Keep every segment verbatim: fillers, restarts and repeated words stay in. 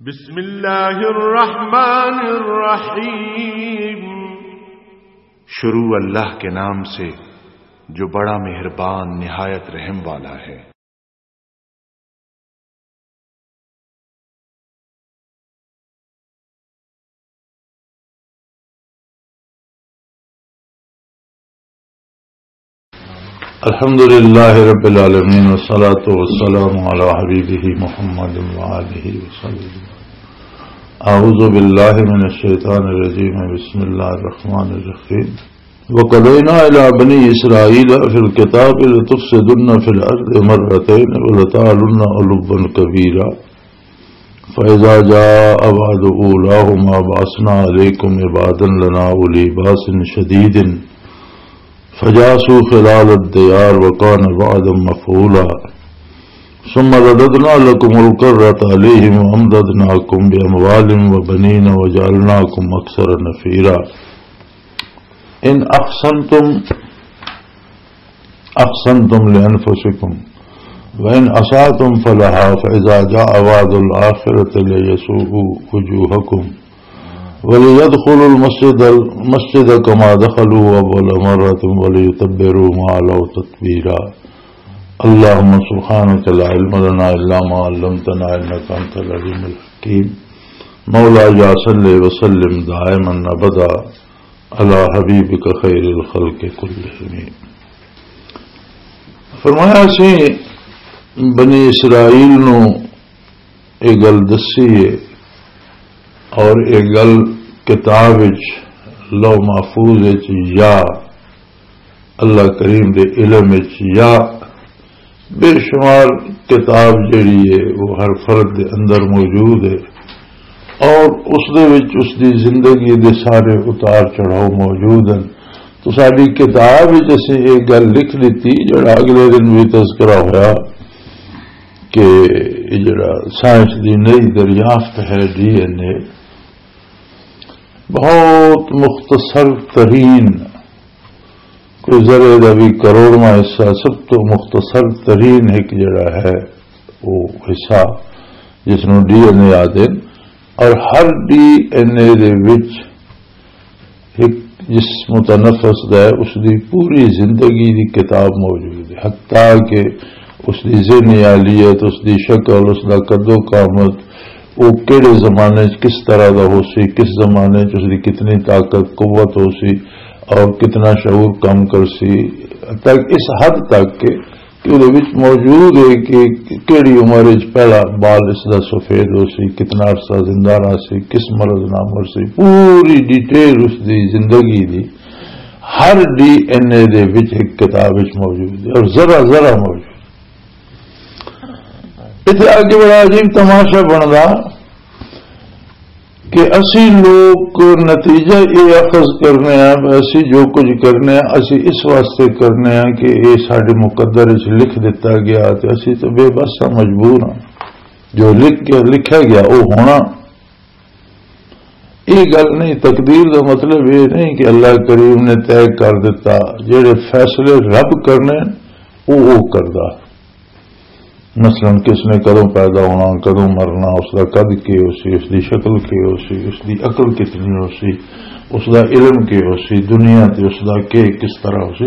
بسم اللہ الرحمن الرحیم۔ شروع اللہ کے نام سے، جو بڑا مہربان، نہایت رحم والا ہے۔ الحمد لله رب العالمين، والصلاة والسلام على حبيبه محمد وآله وصحبه. أعوذ بالله من الشيطان الرجيم. بسم الله الرحمن الرحيم. وقضينا إلى بني إسرائيل في الكتاب لتفسدن في الأرض مرتين ولتعلن علوا كبيرا. فإذا جاء وعد أولاهما بعثنا عليكم عبادا لنا أولي بأس شديد فجاسوا خلال الديار وكان وعدا مفعولا. ثم رددنا لكم الكرة عليهم وأمددناكم بأموال وبنين وجعلناكم أكثر نفيرا. إن أحسنتم أحسنتم لأنفسكم وإن أسأتم فلها فإذا جاء وعد الآخرة ليسوءوا وجوهكم وليدخلوا المسجد، المسجد كما دخلوه أول مرة وليتبروا ما علوا تتبيرا. اللهم سبحانك لا علم لنا إلا ما علمتنا إنك أنت العليم الحكيم. مولاي صل وسلم دائما أبدا على حبيبك خير الخلق كلهم. فرمایا، اسی بنی اسرائیل نو یہ گل دسی ہے اور یہ گل کتاب وچ، لوح محفوظ وچ، یا اللہ کریم دے علم وچ، یا بے شمار کتاب جڑی ہے، وہ ہر فرد دے اندر موجود ہے اور اس دے وچ اس دی زندگی دے سارے اتار چڑھاؤ موجود ہیں۔ تو ساری کتاب وچ اسی ایک گل لکھ دتی، جڑا اگلے دن بھی تذکرہ ہویا کہ یہ جڑا سائنس دی نئی دریافت ہے، ڈی این اے، بہت مختصر ترین، کوئی ذرے دا بھی کروڑواں حصہ، سب تو مختصر ترین ایک جڑا ہے، وہ حصہ جس نوں ڈی این اے آدھے، اور ہر ڈی این اے دے وچ ایک جس متنفس دا ہے، اس دی پوری زندگی دی کتاب موجود ہے، حتیٰ کہ اس دی ذہنی حالیت، اس دی شکل، اس دا قد و قامت، وہ کہڑے زمانے چ کس طرح دا ہو سی، کس زمانے چ اس دی کتنی طاقت، قوت ہو سی اور کتنا شعور کم کر سی، تک اس حد تک کہ، کہ وہ وچ موجود ہے کہ کہڑی عمر وچ پہلا بال اس دا سفید ہو سی، کتنا عرصہ زندہ رہ سی، کس مرض نہ مر سی، پوری ڈیٹیل اس دی زندگی دی ہر ڈی این اے دے وچ ایک کتاب وچ موجود ہے اور ذرا ذرا موجود۔ اتنے آگے بڑا عجیب تماشا بندا کہ اسی لوگ نتیجہ یہ اخذ کرنے ہیں، اسی جو کچھ کرنے ہیں، اسی اس واسطے کرنے ہیں کہ یہ ساڈے مقدر وچ لکھ دتا گیا تے اسی تو بے بس ہاں، مجبور ہاں۔ جو لکھ کے لکھا گیا، وہ ہونا۔ یہ گل نہیں، تقدیر دا مطلب یہ نہیں کہ اللہ کریم نے طے کر دیتا، جڑے فیصلے رب کرنے، وہ وہ کردا۔ مثلاً کس نے کدوں پیدا ہونا، کدوں مرنا، اس دا قد کی ہو سی، اس دی شکل کی ہو سی، اس دی عقل کتنی ہو سی، اس دا علم کی ہو سی، دنیا تے اس دا کے کس طرح ہو سی،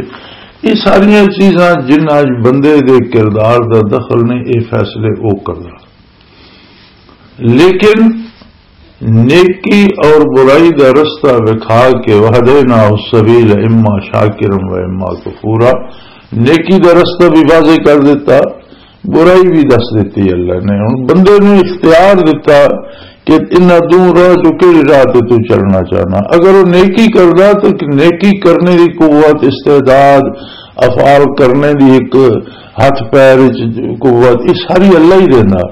یہ ساریاں چیزاں جنہاں وچ بندے دے کردار دا دخل نہیں، یہ فیصلے او کردا۔ لیکن نیکی اور برائی دا رستہ وکھا کے، وہدینا السبیل اما شاکرا و اما کفورا، نیکی دا رستہ بھی واضح کر دیتا، برائی بھی دس دیتی اللہ نے۔ ہن بندے نوں اختیار دیتا کہ انہاں دو راہ چوں کہڑی راہ تے تو چلنا چاہنا۔ اگر وہ نیکی کردا تو نیکی کرنے دی قوت، استعداد، افعال کرنے دی ایک ہاتھ پیر وچ قوت، یہ ساری اللہ ہی دینا۔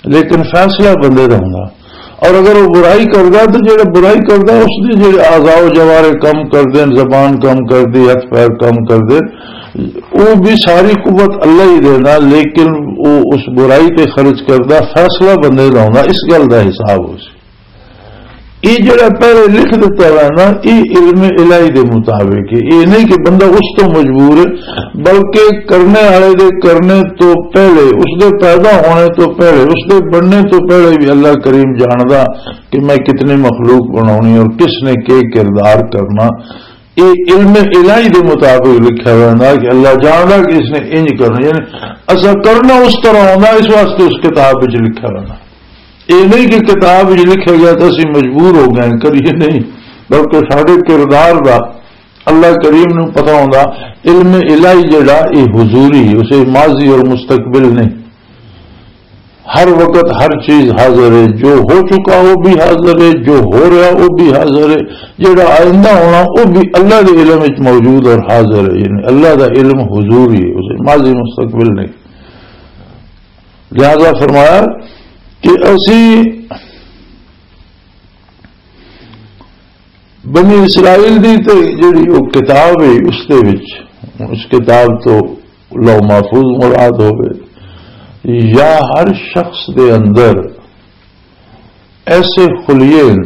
لیکن فیصلہ بندے دا ہوندا۔ اور اگر وہ برائی کردا تو جڑا برائی کردا، اس دے جڑے اعضاء و جوارے کم کر دین، زبان کم کر دی، ہاتھ پیر کم کر دین، وہ بھی ساری قوت اللہ ہی دینا، لیکن وہ اس برائی تے خرچ کردا، فیصلہ بندے دا ہوندا۔ اس گل دا حساب ہو سی۔ یہ جڑا پہلے لکھ دیتا ہے نا، یہ علم الہی دے مطابق ہے۔ یہ نہیں کہ بندہ اس تو مجبور ہے، بلکہ کرنے والے دے کرنے تو پہلے، اس دے پیدا ہونے تو پہلے، اس دے بننے تو پہلے بھی اللہ کریم جاندا کہ میں کتنی مخلوق بناونی اور کس نے کے کردار کرنا۔ یہ علم الہی دے مطابق لکھا ہوا ہے کہ اللہ جاندا کہ اس نے انج کرنا، یعنی ایسا کرنا اس طرح ہونا، اس واسطے اس کتاب وچ لکھا ہوا ہے۔ یہ نہیں کہ کتاب وچ لکھا گیا تو اسی مجبور ہو گئے، کریے نہیں، بلکہ سارے کردار دا اللہ کریم نو پتہ ہوندا۔ علم الہی جڑا، یہ حضوری، اسے ماضی اور مستقبل نہیں، ہر وقت ہر چیز حاضر ہے۔ جو ہو چکا وہ بھی حاضر ہے، جو ہو رہا وہ بھی حاضر ہے، جڑا آئندہ ہونا وہ بھی اللہ دے علم وچ موجود اور حاضر ہے۔ یعنی اللہ دا علم حضوری ہے، اسے ماضی مستقبل نہیں۔ لہذا فرمایا کہ اسی بنی اسرائیل دی تے جڑی وہ کتاب ہے، اس دے وچ، اس کتاب تو لوح محفوظ مراد ہوئے، یا ہر شخص دے اندر ایسے خلیے ہیں۔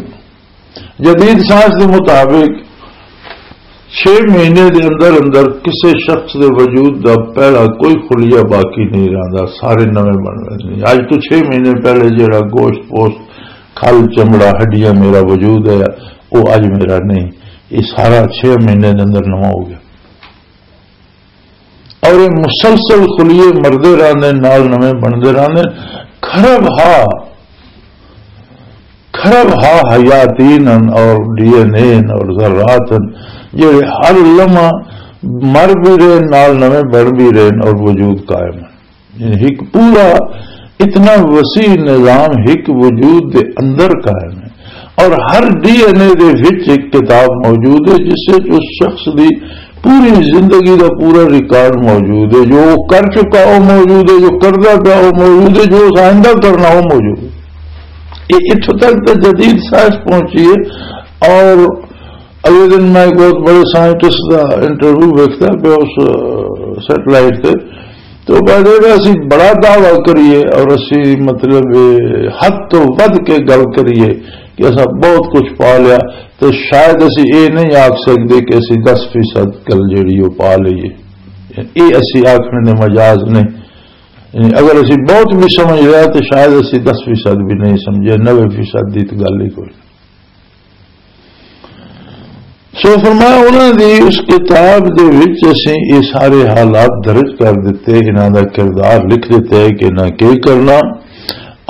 جدید سائنس دے مطابق چھ مہینے دے اندر اندر کسے شخص دے وجود دا پہلا کوئی خلیہ باقی نہیں رہندا، سارے نویں بن رہے ہیں۔ اج تو چھ مہینے پہلے جڑا گوشت پوشت، کھل، چمڑا، ہڈیاں میرا وجود ہے، وہ اج میرا نہیں۔ یہ سارا چھ مہینے دے اندر نواں ہو گیا۔ اور یہ مسلسل خلیے مردے رہندے، نال نویں بنتے رہندے۔ کھرب ہا، کھرب ہا حیاتین ہن اور ڈی این اے ہن اور ذرات ہن، جڑے ہر لمحہ مر بھی رہے، نال نویں بن بھی رہے اور وجود قائم ہے۔ یعنی ایک پورا اتنا وسیع نظام ایک وجود دے اندر قائم ہے، اور ہر ڈی این اے دے وچ ایک کتاب موجود ہے، جس وچ اس شخص دی پوری زندگی دا پورا ریکارڈ موجود ہے۔ جو وہ کر چکا وہ موجود ہے، جو کردا پیا وہ موجود ہے، جو اس آئندہ کرنا وہ موجود ہے۔ یہ اتھوں تک تو جدید سائنس پہنچی ہے۔ اور اگلے دن میں ایک بہت بڑے سائنٹسٹ دا انٹرویو ویکھدا پیا اس، آ، سیٹلائٹ تے، تو وہ کہہ دے کہ اسی بڑا دعویٰ کریے اور اسی، مطلب، حد تو ود کے گل کریے کہ اساں بہت کچھ پا لیا، تو شاید اسی یہ نہیں آکھ سکدے کہ اسی دس فیصد گل جڑی وہ پا لئیے۔ یہ اسی آکھنے دے مجاز نہیں۔ یعنی اگر اسی بہت بھی سمجھ لیا تو شاید اسی دس فیصد بھی نہیں سمجھے، نوے فیصد دی تو گل ہی کوئی۔ سو فرمایا، انہاں دی اس کتاب دے وچ اسیں یہ سارے حالات درج کر دتے، انہاں دا کردار لکھ دتا ہے کہ انہاں کی کرنا،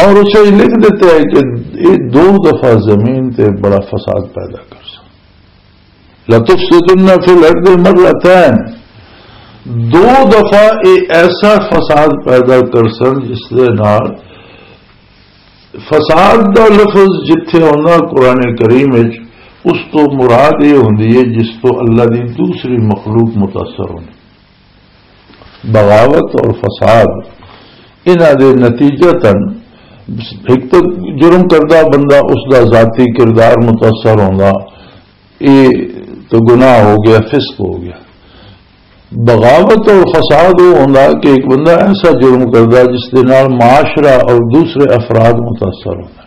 اور اسے لکھ دتا ہے کہ یہ دو دفعہ زمین تے بڑا فساد پیدا کر سن۔ لَتُفْسِدُنَّ فِي الْأَرْضِ مَرَّتَيْنِ، دو دفعہ یہ ایسا فساد پیدا کر سن جس دے نال فساد دا لفظ جتھے ہوندا قرآن کریم وچ، اس تو مراد یہ ہوندی ہے جس تو اللہ دی دوسری مخلوق متاثر ہوندی۔ بغاوت اور فساد، انہاں دے نتیجتاً ایک تو جرم کردہ بندہ، اس دا ذاتی کردار متاثر ہوندا، یہ تو گناہ ہو گیا، فسق ہو گیا۔ بغاوت اور فساد وہ ہوندا کہ ایک بندہ ایسا جرم کردا جس دے نال معاشرہ اور دوسرے افراد متاثر ہوندا۔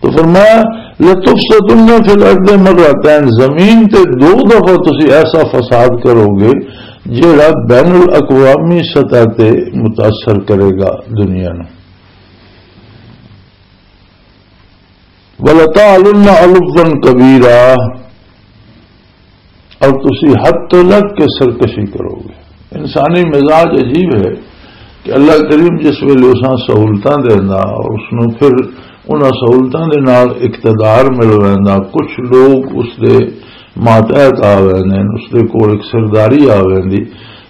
تو فرمایا، لَتُفْسِدُنَّ فِي الْأَرْضِ مَرَّتَيْنِ، زمین تے دو دفعہ تسی ایسا فساد کرو گے جڑا بین الاقوامی سطح تے متاثر کرے گا دنیا نو۔ وَلَتَعْلُنَّ عُلُوًّا كَبِيرًا، اور تسی حد تو لگ کے سرکشی کرو گے۔ انسانی مزاج عجیب ہے کہ اللہ کریم جس ویلے اساں سہولتاں دیندا اور اس نوں پھر انہاں سہولتاں دے نال اقتدار مل ویندا، کچھ لوگ اس دے ماتحت آ ویندے نے، اس دے کول ایک سرداری آ ویندی،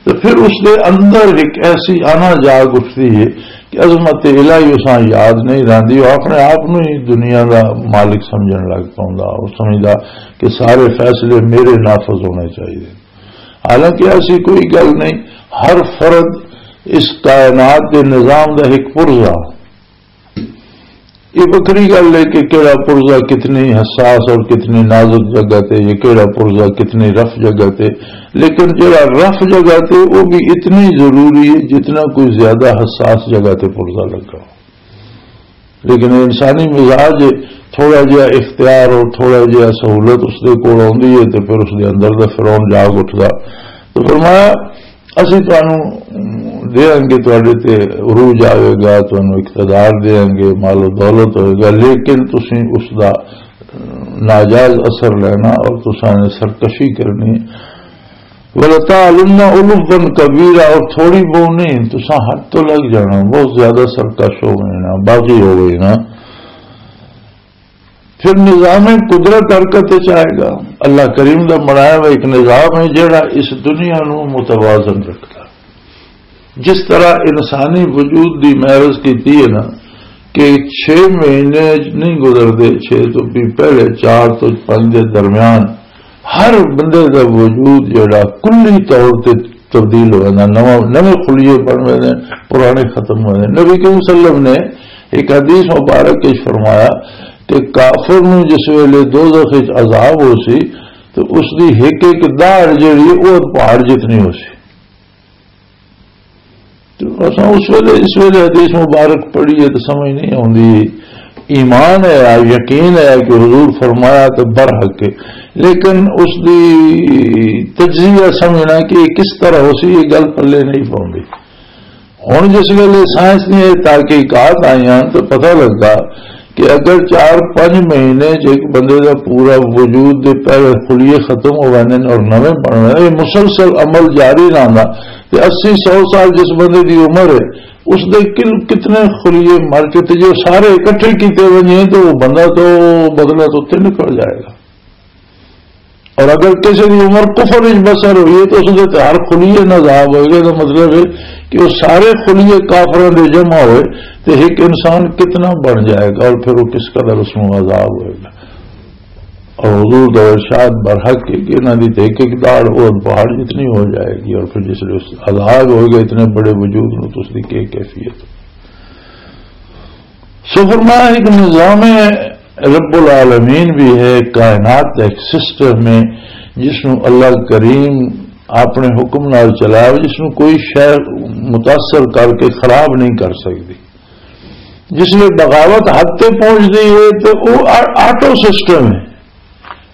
تے پھر اس دے اندر ایک ایسی انا جاگ اٹھدی ہے کہ عظمت الہی اساں یاد نہیں رہندی، وہ اپنے آپ نوں ہی دنیا دا مالک سمجھن لگ پوندا، وہ سمجھدا کہ سارے فیصلے میرے نافذ ہونے چاہیے۔ حالانکہ ایسی کوئی گل نہیں، ہر فرد اس کائنات دے نظام دا ایک پرزہ۔ یہ وکری گل ہے کہ کیڑا پرزہ کتنی حساس اور کتنی نازک جگہ تے، یہ کیڑا پرزہ کتنی رف جگہ تے، لیکن جڑا رف جگہ تے وہ بھی اتنی ضروری ہے جتنا کوئی زیادہ حساس جگہ تے پرزہ لگا ہو۔ لیکن انسانی مزاج، تھوڑا جہا اختیار اور تھوڑا جہا سہولت اس دے کول آؤندی ہے تے پھر اس دے اندر دا فرعون جاگ اٹھدا۔ تو فرمایا، "اسی تانوں دیاں گے، تہاڈے تے عروج آوے گا، تانوں اقتدار دیاں گے، مال و دولت ہوئے گا، لیکن تسی اس دا ناجائز اثر لینا اور تساں نے سرکشی کرنی ہے۔ ولتعلن علوا کبیرا، اور تھوڑی بہت نہیں، تساں حد تو لگ جانا، بہت زیادہ سرکش ہو گئے نا، باغی ہو گئے نا۔" پھر نظام قدرت حرکت وچ آئے گا۔ اللہ کریم دا بنایا ہوا ایک نظام ہے جڑا اس دنیا نو متوازن رکھدا۔ جس طرح انسانی وجود دی میں عرض کیتی ہے نا کہ چھ مہینے نہیں گزردے، چھ تو بھی پہلے، چار تو پنج دے درمیان ہر بندے دا وجود جڑا کلی طور تے تبدیل ہو جانا، نواں، نویں خلیے بن ویندے، پرانے ختم ہو جاندے۔ نبی کریم صلی اللہ علیہ وسلم نے ایک حدیث مبارک وچ فرمایا کہ کافر نوں جس ویلے دوزخ وچ عذاب ہو سی تو اس دی ایک ایک داڑھ جڑی ہے، وہ پہاڑ جتنی ہو سی۔ تو اساں اس ویلے، اس ویلے حدیث مبارک پڑھی ہے تو سمجھ نہیں آندی۔ ایمان ہے، یقین ہے کہ حضور فرمایا تو برحق ہے، لیکن اس دی تجزیہ سمجھنا کہ یہ کس طرح ہو سی، یہ گل پلے نہیں پاؤندی۔ ہن جس ویلے سائنس نے یہ تحقیقات آئیاں تو پتہ لگا کہ اگر چار پنج مہینے چ ایک بندے دا پورا وجود دے پہلے خلیے ختم ہو ویندے نے اور نویں بن ویندے، یہ مسلسل عمل جاری رہندا، تے اسی سو سال جس بندے دی عمر ہے، اس دے کل کتنے خلیے مر کے تے جو سارے اکٹھے کیتے ونجے تو وہ بندہ تو بدلہ تو تے نکل جائے گا۔ اور اگر کسی دی عمر کفر وچ بسر ہوئی ہے تو اس دے تے ہر خلیے نازاب ہوئے گا۔ تو مطلب ہے کہ وہ سارے خلیے کافراں دے جمع ہوئے تے ایک انسان کتنا بن جائے گا اور پھر وہ کس قدر اس میں عذاب ہوئے گا۔ اور حضور دا ارشاد برحق ہے کہ انہاں دی تے ایک ایک داڑھ وہ پہاڑ جتنی ہو جائے گی، اور پھر جس ویلے عذاب ہوئے گا اتنے بڑے وجود نو تو اس دی کیا کیفیت؟ سو فرمایا، ایک نظام رب العالمین بھی ہے، کائنات کا ایک سسٹم ہے جس نو اللہ کریم اپنے حکم نال چلایا، جس نو کوئی شے متاثر کر کے خراب نہیں کر سکتی۔ جس میں بغاوت حد تے پہنچ گئی ہے تو وہ آ-، آٹو سسٹم ہے،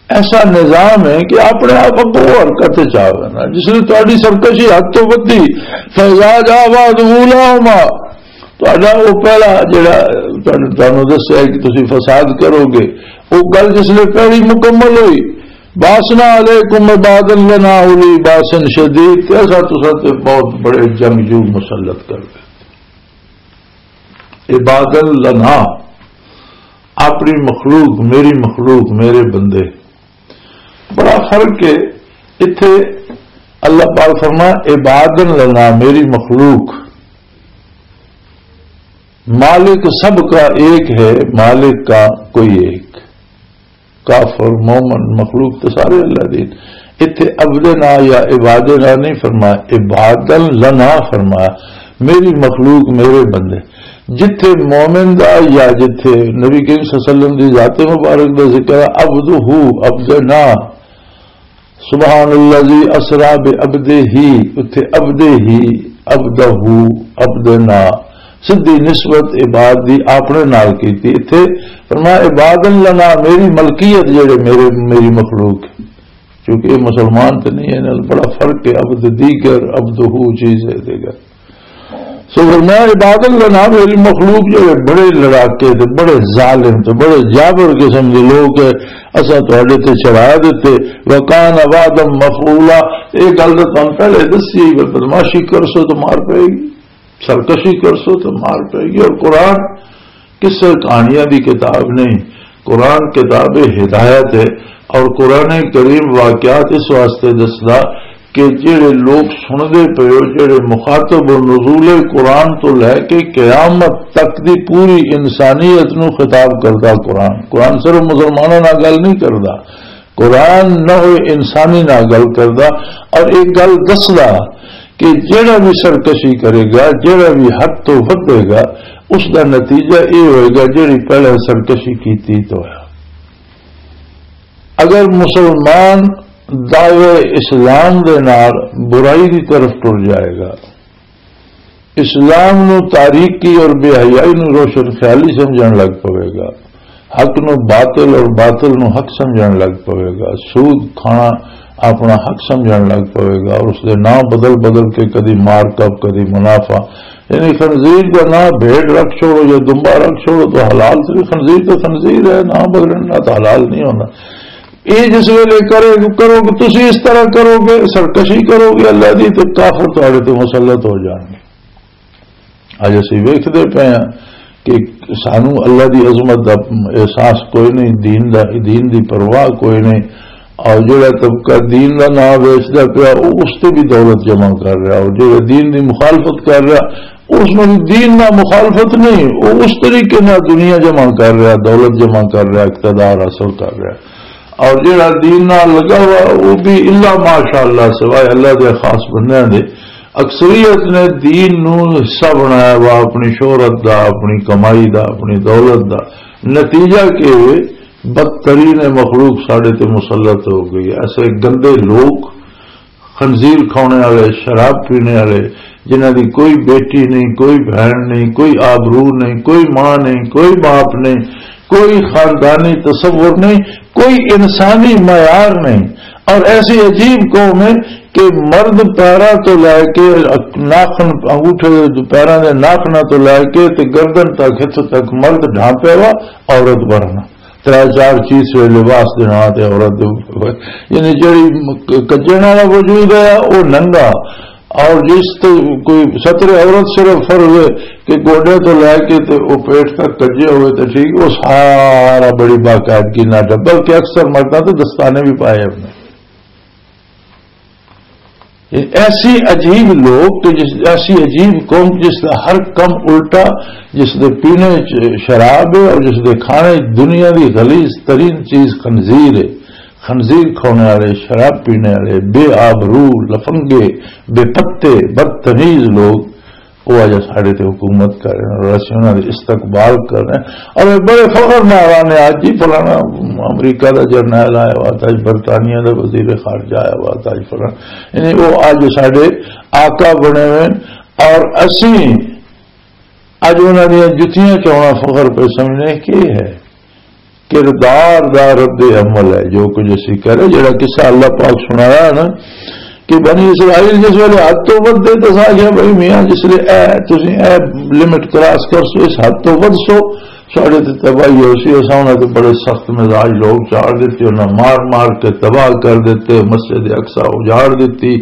ایسا نظام ہے کہ اپنے آپ اگوں حرکت چ آ جانا۔ جس نے تہاڈی سرکشی حد تو ودی، فیضا جا بعد اولاہما، تہاڈا وہ پہلا جڑا تہانوں، تہانوں دسیا کہ تسی فساد کرو گے، وہ گل جس نے پہلی مکمل ہوئی، باسنا علیکم عبادا لنا اولی باس شدید، تے اساں تساں تے بہت بڑے جنگجو مسلط کر دے۔ عبادا لنا، اپنی مخلوق، میری مخلوق، میرے بندے۔ بڑا فرق ہے۔ اتھے اللہ پاک فرما، عبادا لنا، میری مخلوق۔ مالک سب کا ایک ہے، مالک کا کوئی ایک۔ کافر، مومن، مخلوق تے سارے اللہ دے۔ اتھے عبدنا یا عبادنا نہیں فرمایا، عبادا لنا فرمایا، میری مخلوق، میرے بندے۔ جتھے مومن دا یا جتھے نبی کریم صلی اللہ علیہ وسلم دی ذات مبارک دا ذکر ہے، عبدہ، عبدنا، سبحان الذی اسری بعبدہ، اتھے عبدہ، عبدہ، عبدنا، سدھی نسبت عباد دی اپنے نال کیتی۔ اتھے فرمایا، عبادا لنا، میری ملکیت جڑے میرے، میری مخلوق، کیونکہ یہ مسلمان تے نہیں ہے، انہاں بڑا فرق ہے، عبد دیگر، عبدہ چیز ہے دیگر۔ سو فرمایا، عبادا لنا، میری مخلوق جڑے بڑے لڑاکے تے بڑے ظالم تے بڑے جابر قسم دے لوگ ہے، اساں تہاڈے تے چڑھا دتے، وکان وعدا مفعولا، یہ گل تو تم پہلے دسی، بدمعاشی کرسو تو مار پائے گی، سرکشی کرسو تو مار پائے گی۔ اور قرآن قصے کہانیاں دی کتاب نہیں، قرآن کتاب ہدایت ہے۔ اور قرآن کریم واقعات اس واسطے دسدا کہ جڑے لوگ سن دے پے ہو، جڑے مخاطب ہو، نزول قرآن تو لے کے قیامت تک دی پوری انسانیت نو خطاب کردا قرآن۔ قرآن صرف مسلمانوں نال گل نہیں کردا، قرآن نہ ہوئے انسانی نال گل کردا۔ اور ایک گل دسدا کہ جڑا بھی سرکشی کرے گا، جڑا بھی حد تو ودے گا، اس دا نتیجہ یہ ہوئے گا جڑی پہلے سرکشی کیتی تو ہویا۔ اگر مسلمان دعوے اسلام دے نال برائی دی طرف ٹر جائے گا، اسلام نو تاریکی اور بے حیائی نو روشن خیالی سمجھن لگ پوے گا، حق نو باطل اور باطل نو حق سمجھن لگ پوے گا، سود کھانا اپنا حق سمجھن لگ پوے گا، اور اس دے نام بدل بدل کے کدی مارک اپ، کدی منافع، یعنی خنزیر کا نام بھیڑ رکھ چھوڑو یا دمبا رکھ چھوڑو تو حلال سے، خنزیر تو خنزیر ہے، نام بدلنا تو حلال نہیں ہونا۔ یہ جس ویلے کرے، کرو گے، تسی اس طرح کرو گے، سرکشی کرو گے اللہ دی، تو کافر تہاڈے تے مسلط ہو جان گے۔ اج اسی ویکھدے پئے ہاں کہ سانو اللہ دی عظمت دا احساس کوئی نہیں، دین دا، دین دی پرواہ کوئی نہیں۔ اور جڑا طبقہ دین دا نام ویچدا پیا، او اس تے بھی دولت جمع کر رہا، اور جڑا دین دی مخالفت کر رہا، اس میں دین نال مخالفت نہیں، وہ اس طریقے نال دنیا جمع کر رہا، دولت جمع کر رہا، اقتدار حاصل کر رہا۔ اور جڑا دین نال لگا ہوا، وہ بھی الا ماشاءاللہ، سوائے اللہ دے خاص بندیاں دے، اکثریت نے دین نو حصہ بنایا ہوا اپنی شہرت دا، اپنی کمائی دا، اپنی دولت دا۔ نتیجہ کہ بدترین مخلوق ساڈے تے مسلط ہو گئی۔ ایسے گندے لوگ، خنزیر کھانے والے، شراب پینے والے، جنہاں دی کوئی بیٹی نہیں، کوئی بہن نہیں، کوئی آبرو نہیں، کوئی ماں نہیں، کوئی باپ نہیں، کوئی خاندانی تصور نہیں، کوئی انسانی معیار نہیں۔ اور ایسی عجیب قوم ہے کہ مرد پیراں تو لے کے، ناخن، انگوٹھے، پیراں دے ناخناں تو لے کے تے گردن تک، ہتھ تک مرد ڈھانپے وا، عورت ورنا۔ ترے چار چیز سے لباس دے ناں تے عورت دے، یعنی جڑی کجن والا وجود ہے، وہ ننگا۔ اور جس تے کوئی ستر عورت صرف فر ہوئے کہ گوڈے تو لے کے تے وہ پیٹ تک کجے ہوئے تے ٹھیک، وہ سارا بڑی باقاعدگی نہ ڈھا، بلکہ اکثر مرداں تے دستانے بھی پائے اپنے۔ یہ ایسی عجیب لوگ کہ جس، ایسی عجیب قوم جس کا ہر کم الٹا، جس دے پینے چ شراب ہے اور جس دے کھانے چ دنیا دی غلیظ ترین چیز خنزیر ہے۔ خنزیر کھانے والے، شراب پینے والے، بے آبرو، لفنگے، بے پتے، بدتمیز لوگ، وہ اج ساڈے تے حکومت کر رہے ہیں اور اسی انہاں دے استقبال کر رہے ہیں۔ اور یہ بڑے فخر نال آنے، اج ہی فلانا امریکہ دا جرنیل آیا ہوا تھا، اج برطانیہ دا وزیر خارجہ آیا ہوا تھا، اج فلانا، یعنی وہ اج ساڈے آقا بنے ہوئے ہیں۔ اور اسی اج انہاں دیاں جتیاں چونا فخر پہ سمجھنے کی ہے؟ کردار دا رد عمل ہے۔ جو کچھ اسی کرے، جڑا قصہ اللہ پاک سنایا ہے نا، کہ بنی اسرائیل جس ویلے حد تو ودھے تے اساں آکھیا، "بھائی میاں، جس لے اے تسی اے لمٹ کراس کر سو، اس حد تو ودھ سو، ساڈے تے تباہی ہو سی۔" اساں انہاں تے بڑے سخت مزاج لوگ چاڑ دتے، انہاں مار مار کے تباہ کر دتے، مسجد اقصی اجاڑ دتی،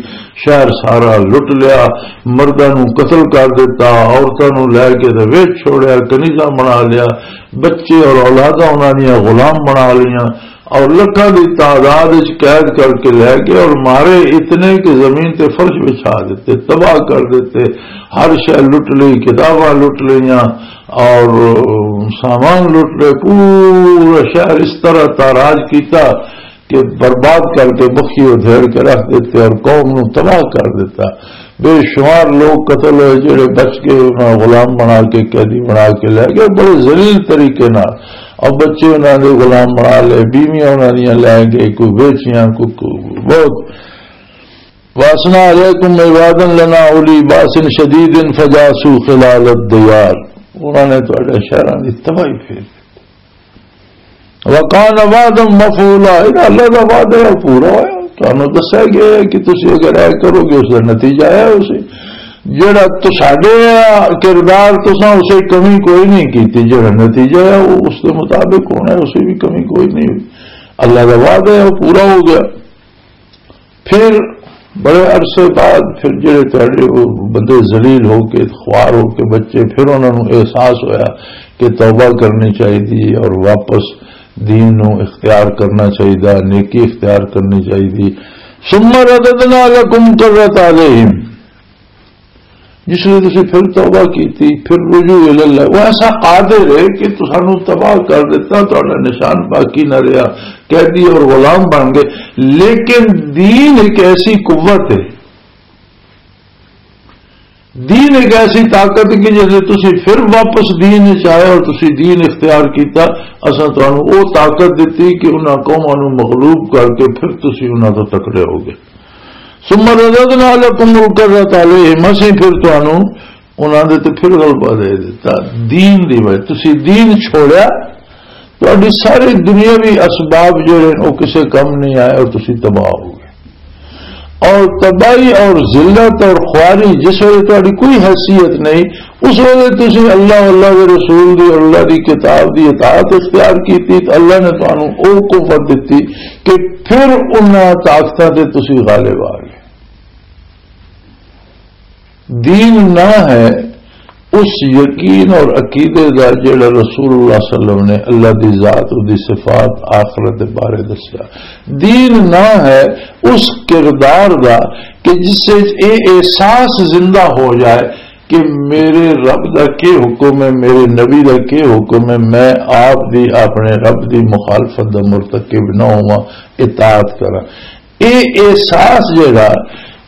شہر سارا لٹ لیا، مرداں نوں قتل کر دتا، عورتاں نوں لے کے تے ویچ چھوڑیا، کنیزاں بنا لیا، بچے اور اولاداں انہاں دیاں غلام بنا لیاں، اور لکھاں دی تعداد وچ قید کر کے لے گئے، اور مارے اتنے کہ زمین تے فرش بچھا دیتے، تباہ کر دیتے، ہر شے لٹ لی، کتاباں لٹ لیاں، اور سامان لٹ لے، پورا شہر اس طرح تاراج کیتا کہ برباد کر کے، مکھی ادھیڑ کے رکھ دیتے اور قوم نو تباہ کر دیتا۔ بے شمار لوگ قتل ہوئے، جڑے بچ گئے انہاں غلام بنا کے، قیدی بنا کے لے گئے بڑے ذلیل طریقے نال۔ اور بچے انہاں دے غلام بنا لے، بیویاں انہاں دیاں لے گئے، کوئی بیچیاں، کوئی، کوئی بہت۔ واسنا علیکم عبادا لنا اولی باس شدید فجاسوا خلال الدیار۔ انہاں نے تہاڈے شہراں دی تباہی پھیر۔ وَكَانَ وَعْدًا مَفْعُولًا، یہ اللہ دا وعدہ ہے، پورا ہویا۔ تانوں دسیا گیا ہے کہ تسی اگر اے کرو گے، اس دا نتیجہ ہے۔ اسے جڑا تساڈے کردار، تساں اسے کمی کوئی نہیں کیتی، جڑا نتیجہ ہے، وہ اس دے مطابق ہونا ہے، اسے بھی کمی کوئی نہیں ہوئی۔ اللہ دا وعدہ ہے، وہ پورا ہو گیا۔ پھر بڑے عرصے بعد پھر جڑے تہاڈے وہ بندے ذلیل ہو کے، خوار ہو کے بچے، پھر انہاں نوں احساس ہویا کہ توبہ کرنی چاہیے اور واپس دین نوں اختیار کرنا چاہیے، نیکی اختیار کرنی چاہیے۔ ثم رددنا لکم کرۃ علیہم، جس ویلے تسی پھر توبہ کیتی، پھر رجوع الی اللہ، وہ ایسا قادر ہے کہ تسانوں تباہ کر دیتا، تہاڈا نشان باقی نہ رہیا، قیدی اور غلام بن گئے۔ لیکن دین ایک ایسی قوت ہے، دین ایک ایسی طاقت ہے کہ جس ویلے تسی پھر واپس دین وچ آئے اور تسی دین اختیار کیتا، اساں تہانوں وہ طاقت دتی کہ انہاں قوماں نوں مغلوب کر کے پھر تسی انہاں تو تکڑے ہو گئے۔ ثم رددنا لکم الکرۃ علیہم، اسیں پھر تانوں انہاں دے تے پھر غلبہ دے دتا۔ دین دی وجہ تسی دین چھوڑیا، تہاڈی ساری دنیاوی اسباب جڑے نے، او کسے کم نہیں آئے اور تسی تباہ ہو گئے۔ اور تباہی اور ذلت اور خواری، جس ویلے تہاڈی کوئی حیثیت نہیں، اس ویلے تسی اللہ، اللہ دے رسول دی اور اللہ دی کتاب دی اطاعت اختیار کیتی، تو اللہ نے تانوں او قوت دتی کہ پھر انہاں طاقتاں تے تسی غالب آ گئے۔ دین نہ ہے اس یقین اور عقیدے دا جڑا رسول اللہ صلی اللہ علیہ وسلم نے اللہ دی ذات، دی صفات، آخرت دے بارے دسیا۔ دین نہ ہے اس کردار دا کہ جس وچ اے احساس زندہ ہو جائے کہ میرے رب دا کی حکم ہے، میرے نبی دا کی حکم ہے، میں آپ دی، اپنے رب دی مخالفت دا مرتکب نہ ہواں، اطاعت کراں۔ اے احساس جڑا،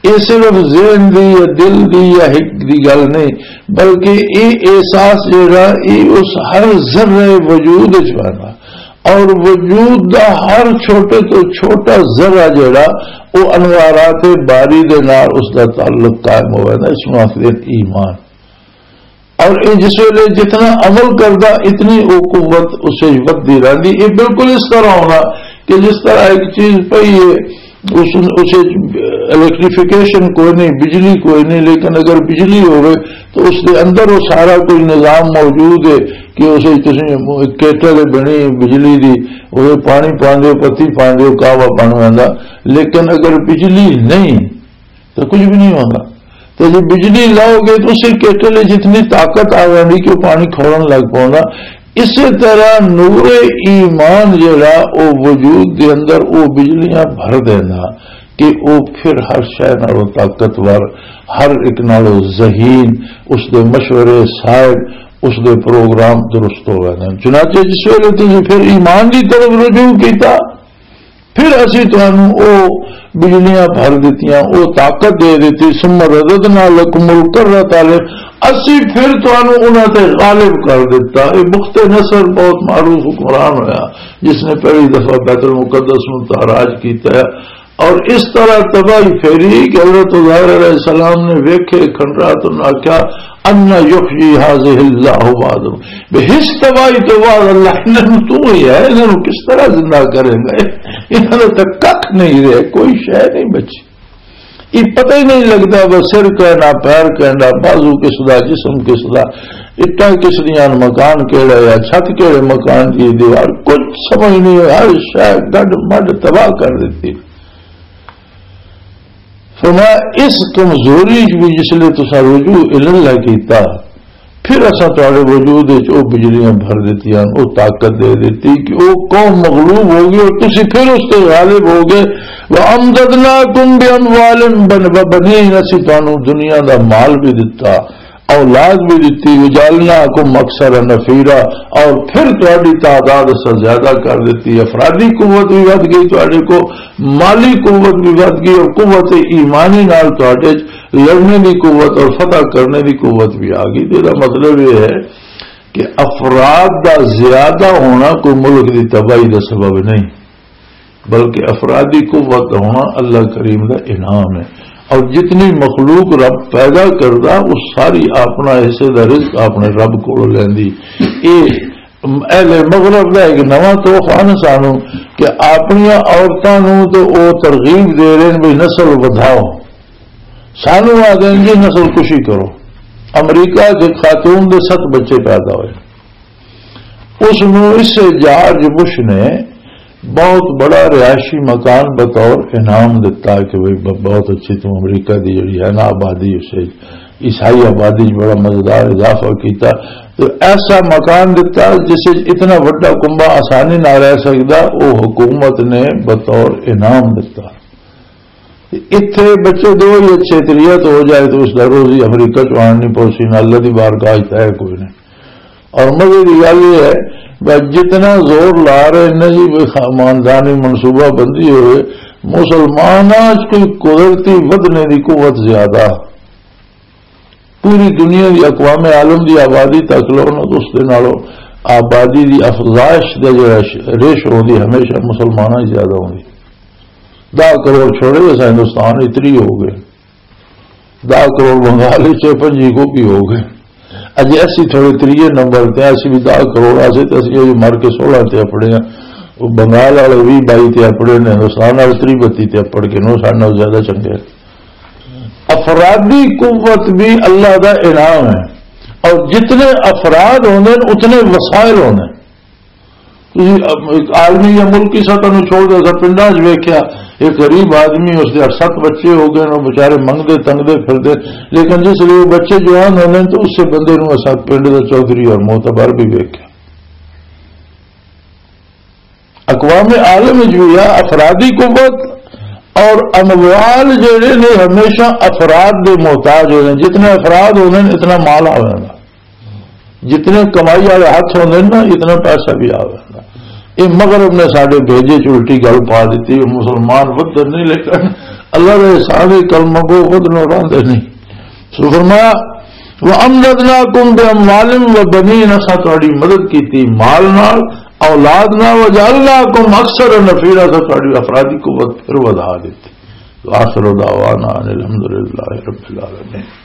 اے صرف ذہن دی یا دل دی یا ہک دی گل نہیں، بلکہ اے احساس جڑا، اے اس ہر ذرے وجود وچ پیدا، اور وجود دا ہر چھوٹے تو چھوٹا ذرہ جڑا، او انوارات باری دے نال اس دا تعلق قائم ہوئے نا، اس نوں آخدے ایمان۔ اور اے جس ویلے جتنا عمل کردا، اتنی او قوت اسے ودھدی رہندی۔ اے بالکل اس طرح ہونا کہ جس طرح ایک چیز پئی ہے، اس، اسے الیکٹریفیکیشن کوئی نہیں، بجلی کوئی نہیں، لیکن اگر بجلی ہوئے تو اس دے اندر وہ سارا کوئی نظام موجود ہے کہ اسے تسی کیٹل بنی بجلی دی، وہ پانی پاندے ہو، پتی پاندے ہو، قہوہ بن ویندا، لیکن اگر بجلی نہیں تو کچھ بھی نہیں ہونا۔ تو جب بجلی لاؤ گے تو اسے کیٹل وچ اتنی طاقت آ جاندی کہ وہ پانی کھولن لگ پوندا۔ اسی طرح نور ایمان جڑا، او وجود دے اندر او بجلیاں بھر دینا کہ او پھر ہر شے نالوں طاقتور، ہر ایک نالوں ذہین، اس دے مشورے صاحب، اس دے پروگرام درست ہو گئے۔ چنانچہ جس ویلے تسی پھر ایمان دی طرف رجوع کیتا، پھر اسی تانوں او بجلیاں بھر دتیاں، او طاقت دے دتی۔ ثم رددنا لکم الکرۃ علیہم، اسی پھر تانوں انہاں تے غالب کر دتا۔ اے بخت نصر بہت معروف حکمران ہویا، جس نے پہلی دفعہ بیت المقدس نوں تاراج کیتا ہے۔ اور اس طرح تباہی پھیری کہ حضرت عزیر علیہ السلام نے ویکھے کھنڈرات، انہاں آکھیا، "ان یحیی ھذہ اللہ بعد"، بے حس تباہی تو بعد اللہ انہاں نوں تو ہی ہے، انہاں نوں کس طرح زندہ کرے گا؟ انہاں نے تو ککھ نہیں رہے، کوئی شے نہیں بچی۔ یہ پتہ ہی نہیں لگدا، بس سر کہنا، پیر کہنا، بازو کس دا، جسم کس دا، اٹاں کس دیاں، مکان کیڑا ہے، چھت کیڑے مکان دی دیوار، کچھ سمجھ نہیں، ہر شے گڈ مڈ تباہ کر دیتی۔ فرمایا، اس کمزوری وچ بھی جس لئے تساں رجوع الاللہ کیتا، پھر اساں تہاڈے وجود وچ او بجلیاں بھر دتیاں، او طاقت دے دتی کہ او قوم مغلوب ہو گئی اور تسی پھر اس تے غالب ہو گئے۔ وَأَمْدَدْنَاكُمْ بِأَمْوَالٍ وَبَنِينَ، اسی تانوں دنیا دا مال بھی دتا، اولاد بھی دتی، وَجَعَلْنَاكُمْ أَكْثَرَ نَفِيرًا، اور پھر تہاڈی تعداد اساں زیادہ کر دتی، افرادی قوت بھی ودھ گئی تہاڈے کو، مالی قوت بھی ودھ گئی اور قوت ایمانی نال تہاڈے چ لڑنے دی قوت اور فتح کرنے دی قوت بھی آ گئی۔ تو یہ مطلب یہ ہے کہ افراد دا زیادہ ہونا کوئی ملک دی تباہی دا سبب نہیں، بلکہ افرادی قوت دا ہونا اللہ کریم دا انعام ہے۔ اور جتنی مخلوق رب پیدا کردا، وہ ساری اپنا حصے دا رزق اپنے رب کولوں لیندی۔ اے اہل مغرب دا ایک نواں تحفہ نا سانو کہ اپنیاں عورتاں نو تے او ترغیب دے رہے ہیں بھی نسل ودھاؤ۔ سانو آ دین جی نسل کشی کرو۔ امریکہ چ خاتون دے ست بچے پیدا ہوئے۔ اس نو اس جارج بش نے بہت بڑا رہائشی مکان بطور انعام دتا کہ بھئی ب-، بہت اچھی تم امریکہ دی جڑی ہے نا آبادی، اس وچ عیسائی آبادی وچ بڑا مزیدار اضافہ کیتا۔ تو ایسا مکان دتا جس وچ اتنا وڈا کنبہ آسانی نہ رہ سکدا، او حکومت نے بطور انعام دتا۔ اتھے بچے دو ہی اچھے تریت ہو جائے تو اس دا روزی افریقہ چ آن نہیں پوسی، نہ اللہ دی بارگاہ چ ہے کوئی نہیں۔ اور مزے دی گل یہ ہے، بس جتنا زور لا رہے ہیں نا جی، بھئی خاندانی منصوبہ بندی ہوئے، مسلماناں چ کوئی قدرتی ودھنے دی قوت زیادہ۔ پوری دنیا دی اقوام عالم دی آبادی تک لو نا، تو اس دے نالوں آبادی دی افزائش دا جڑا ش-، ریشو ہوندی، ہمیشہ مسلماناں ہی زیادہ ہوندی۔ دہ کروڑ چھوڑے، اساں ہندوستان اتری ہو گئے۔ دہ کروڑ بنگال وچ، پنجی گوبھی ہو گئے۔ اجے اسی تھوڑے تریے نمبر تے، اسی بھی دہ کروڑ آسے تے اسی اجے مر کے سولہ تے اپڑے ہیں۔ وہ بنگال والے بھی بائی تے اپڑے نے، ہندوستان والے تری بتی تے اپڑ کے نو ساڈے نال زیادہ چنگے۔ افرادی قوت بھی اللہ دا انعام ہے، اور جتنے افراد ہوندے نے، اتنے وسائل ہوندے نے۔ تسی ایک عالمی یا ملکی سطح نوں چھوڑ دے، اساں پنڈاں 'چ ویکھیا، ایک غریب آدمی، اس دے اٹھ ست بچے ہو گئے، وہ بیچارے منگدے تنگدے پھردے، لیکن جس لے وہ بچے جوان ہوندے نے، تو اس سے بندے نوں اساں پنڈ دا چودھری اور معتبر بھی ویکھیا۔ اقوام عالم وچ بھی ہے، افرادی قوت اور اموال جڑے نے، ہمیشہ افراد دے محتاج ہوندے نے۔ جتنے افراد ہوندے نے، اتنا مال آ جاندا۔ جتنے کمائی والے ہاتھ ہوندے نا، اتنا پیسہ بھی آ جاندا۔ یہ مغرب نے ساڈے بھیجے چ الٹی گل پا دیتی۔ مسلمان ودھن نہیں، لیکن اللہ دے احسان، کلمہ گو ودھنوں راندے نہیں۔ سو فرمایا، "وَأَمْدَدْنَاكُمْ بِأَمْوَالٍ وَبَنِينَ"، اساں تہاڈی مدد کیتی مال نال، اولاد نال، "وَجَعَلْنَاكُمْ أَكْثَرَ نَفِيرًا"، اساں تہاڈی افرادی قوت پھر ودھا دتی۔ وآخر دعوانا ان الحمد للہ رب العالمین۔